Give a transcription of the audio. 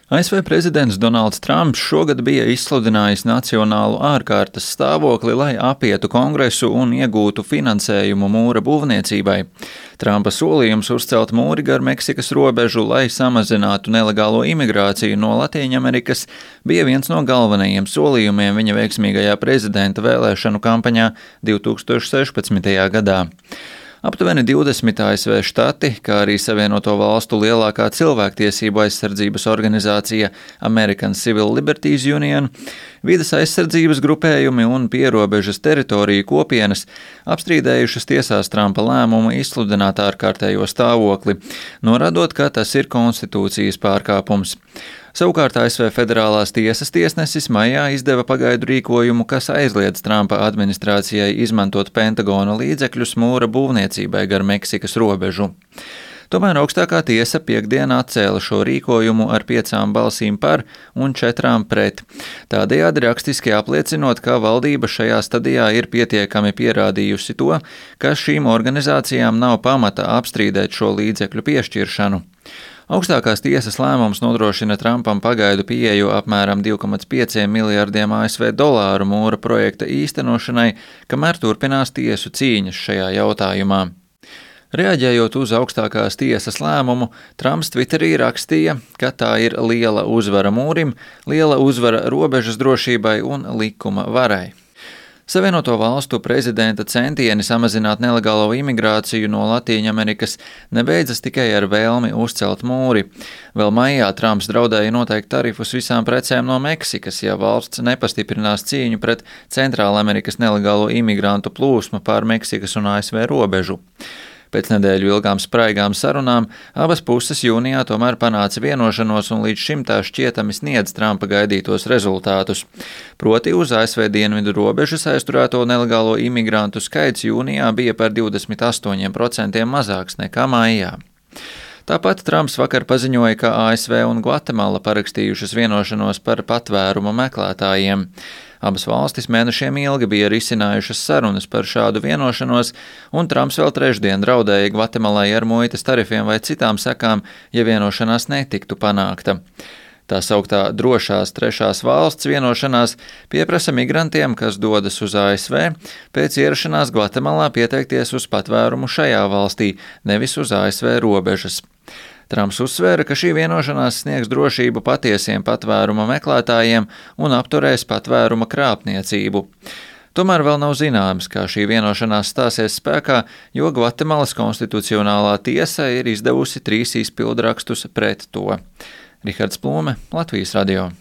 ASV prezidents Donalds Trumps šogad bija izsludinājis nacionālu ārkārtas stāvokli, lai apietu Kongresu un iegūtu finansējumu mūra būvniecībai. Trumpa solījums uzcelt mūri gar Meksikas robežu, lai samazinātu nelegālo imigrāciju no Latīņamerikas, bija viens no galvenajiem solījumiem viņa veiksmīgajā prezidenta vēlēšanu kampaņā 2016. gadā. Aptuveni 20 ASV štati, kā arī Savienoto valstu lielākā cilvēktiesību aizsardzības organizācija American Civil Liberties Union, vides aizsardzības grupējumi un pierobežas teritoriju kopienas apstrīdējušas tiesās Trumpa lēmumu izsludināt ārkārtējo stāvokli, norādot, ka tas ir konstitūcijas pārkāpums. Savukārt ASV federālās tiesas tiesnesis maijā izdeva pagaidu rīkojumu, kas aizliedz Trumpa administrācijai izmantot Pentagona līdzekļus mūra būvniecībai gar Meksikas robežu. Tomēr augstākā tiesa piektdien atcēla šo rīkojumu ar 5 balsīm par un 4 pret. Tādējādi rakstiski apliecinot, ka valdība šajā stadijā ir pietiekami pierādījusi to, ka šīm organizācijām nav pamata apstrīdēt šo līdzekļu piešķiršanu. Augstākās tiesas lēmums nodrošina Trumpam pagaidu pieeju apmēram 2,5 miljardiem ASV dolāru mūra projekta īstenošanai, kamēr turpinās tiesu cīņas šajā jautājumā. Reaģējot uz augstākās tiesas lēmumu, Trumps Twitterī rakstīja, ka tā ir liela uzvara mūrim, liela uzvara robežas drošībai un likuma varai. Savienoto valstu prezidenta centieni samazināt nelegālo imigrāciju no Latīņamerikas nebeidzas tikai ar vēlmi uzcelt mūri. Vēl maijā Trumps draudēja noteikt tarifus visām precēm no Meksikas, ja valsts nepastiprinās cīņu pret Centrālamerikas nelegālo imigrantu plūsmu pār Meksikas un ASV robežu. Pēc nedēļu ilgām spraigām sarunām abas puses jūnijā tomēr panāca vienošanos un līdz šim tā šķietami sniedz Trumpa gaidītos rezultātus. Proti uz ASV dienvidu robežas aizturēto nelegālo imigrantu skaits jūnijā bija par 28% mazāks nekā maijā. Tāpat Trumps vakar paziņoja, ka ASV un Gvatemala parakstījušas vienošanos par patvērumu meklētājiem. Abas valstis mēnešiem ilgi bija risinājušas sarunas par šādu vienošanos, un Trumps vēl trešdien draudēja Gvatemalai ar muitas tarifiem vai citām sekām, ja vienošanās netiktu panākta. Tā sauktā drošās trešās valsts vienošanās pieprasa migrantiem, kas dodas uz ASV, pēc ierašanās Gvatemalā pieteikties uz patvērumu šajā valstī, nevis uz ASV robežas. Trumps uzsvēra, ka šī vienošanās sniegs drošību patiesiem patvēruma meklētājiem un apturēs patvēruma krāpniecību. Tomēr vēl nav zināms, kā šī vienošanās stāsies spēkā, jo Gvatemalas konstitucionālā tiesa ir izdevusi 3 izpildrakstus pret to. Rihards Plūme, Latvijas radio.